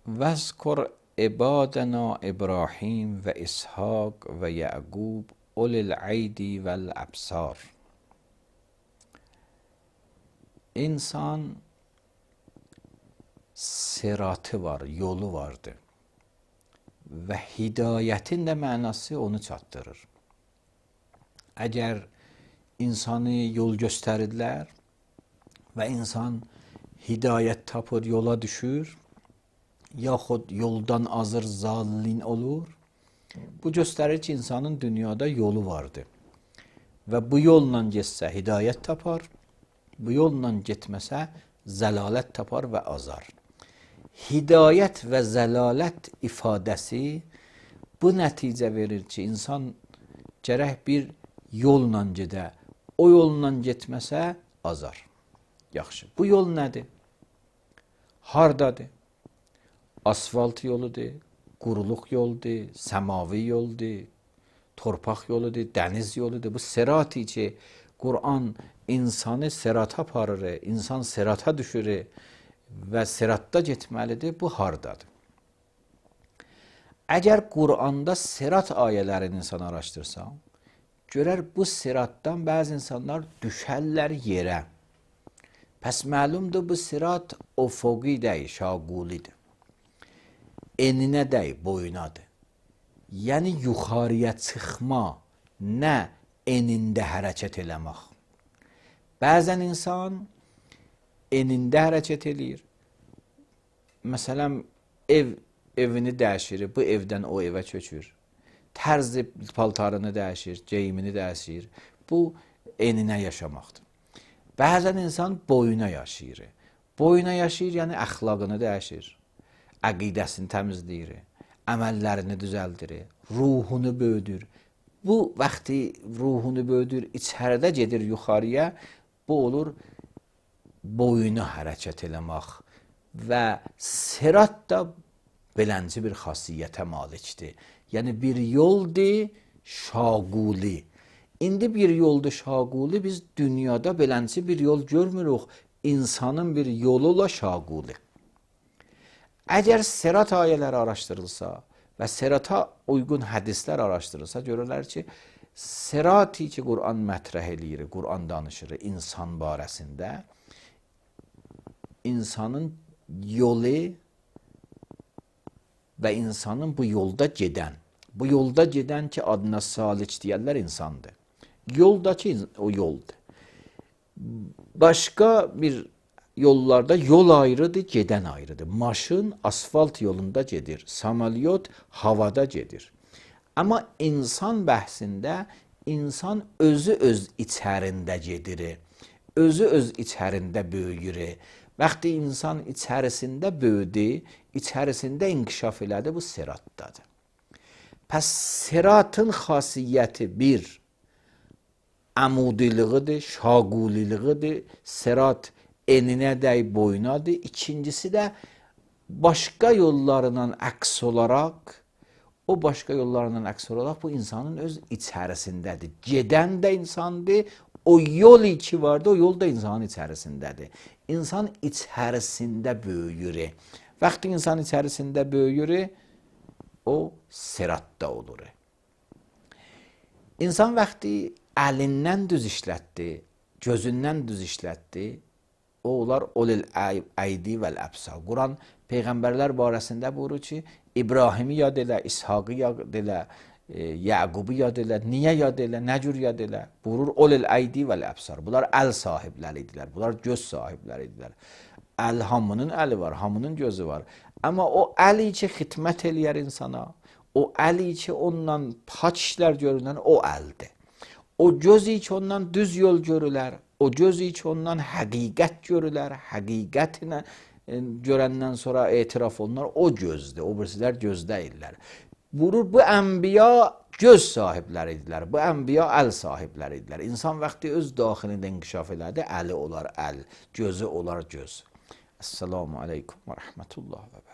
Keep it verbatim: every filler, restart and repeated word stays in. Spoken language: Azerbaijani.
وَاذْكُرْ عِبَادَنَا إِبْرَاهِيمَ وَإِسْحَاقَ وَيَعْقُوبَ أُولِي الْأَيْدِي وَالْأَبْصَارِ. İnsan sıratı var, yolu vardır. Və hidayətin də mənası onu çatdırır. Əgər insanı yol göstərirlər və insan hidayət tapır, yola düşür, yaxud yoldan azır, zallin olur, bu göstərir ki, insanın dünyada yolu vardır. Və bu yolla getsə hidayət tapar, bu yolla getməsə zəlalət tapar və azar. Hidayət və zəlalət ifadəsi bu nəticə verir ki, insan gərək bir yolla gedə, o yolla getməsə azar. Yaxşı, bu yol nədir? Hardadır? Asfalt yoludur, quruluq yoldur, səmavi yoldur, torpaq yoludur, dəniz yoludur. Bu sirati ki, Qur'an insanı sirata aparır, insan sirata düşürür və siratda getməlidir, bu hardadır? Əgər Qur'anda sirat ayələrini insan araşdırsa, görər bu siratdan bəzi insanlar düşərlər yerə. Pəs məlumdur bu sirat ufuqi deyil, şaqulidir. Eninə deyil, boyunadır. Yəni yuxarıya çıxma, nə enində hərəkət eləmək. Bəzən insan enində hərəkət eləyir. Məsələn, ev evini dəyişir, bu evdən o evə köçür. Tərzi paltarını dəyişir, geyimini dəyişir. Bu eninə yaşamaqdır. Bəzən insan boyuna yaşayır. Boyuna yaşayır, yəni əxlaqını dəyişir. Əqidəsini təmizləyir, əməllərini düzəldir, ruhunu böyüdür. Bu vaxtı ruhunu böyüdür, içəridə gedir yuxarıya, bu olur boyuna hərəkət eləmək və sirat da belənci bir xasiyyətə malikdir. Yəni bir yoldur şaquli. İndi bir yoldur şaquli, biz dünyada belənci bir yol görmürük, insanın bir yolu ilə şaquli. Əgər sirat ayələri araşdırılsa və sirata uyğun hədislər araşdırılsa, görürlər ki, sirati ki, Qur'an mətrəh eləyir, Qur'an danışır insan barəsində, insanın yolu və insanın bu yolda gedən, bu yolda gedən ki, adına salik deyərlər insandır. Yoldakı o yoldur. Başqa bir yollarda yol ayrıdır, gedən ayrıdır. Maşın asfalt yolunda gedir, samolyot havada gedir. Amma insan bəhsində insan özü öz içərində gedir, özü öz içərində böyüyür. Vaxtı insan içərisində böyüdü, içərisində inkişaf elədi, bu siratdadır. Pəs siratın xasiyyəti bir, əmudiliğidir, şaquliliğidir, sirat eninə dəy boyunadır. İkincisi də başqa yollarından əks olaraq, o başqa yollarından əks olaraq bu insanın öz içərisindədir. Gedən də insandır, o yol iki vardı, o yol da insanın içərisindədir. İnsan içərisində böyüyür. Vaxtı insan içərisində böyüyür, o siratda olur. İnsan vaxtı əlindən düz işlətdi, gözündən düz işlətdi, o olar ulil aydi vəl əbsar. Quran Peyğəmbərlər barəsində buyurur ki, İbrahimi yad elə, İshaqı yad elə, Yəqubu yad elə, niyə yad elə, nə cür yad elə? Buyurur, ulil aydi vəl əbsar. Bunlar əl sahibləri idilər, bunlar göz sahibləri idilər. Əl, hamının əli var, hamının gözü var. Amma o əli ki, xidmət eləyər insana, o əli ki, ondan paç işlər görünən, o əldir. O gözü ki, ondan düz yol görülər, o gözü ki, ondan həqiqət görülər, həqiqətinə görəndən sonra etiraf olunar, o gözdür, o birisilər göz deyirlər. Buyurur, bu ənbiya göz sahibləri idilər, bu ənbiya əl sahibləri idilər. İnsan vaxtı öz daxilində inkişaf elədi, əli olar əl, gözü olar göz. Esselamu aleykum və rəhmətullah və bərəkətuhu.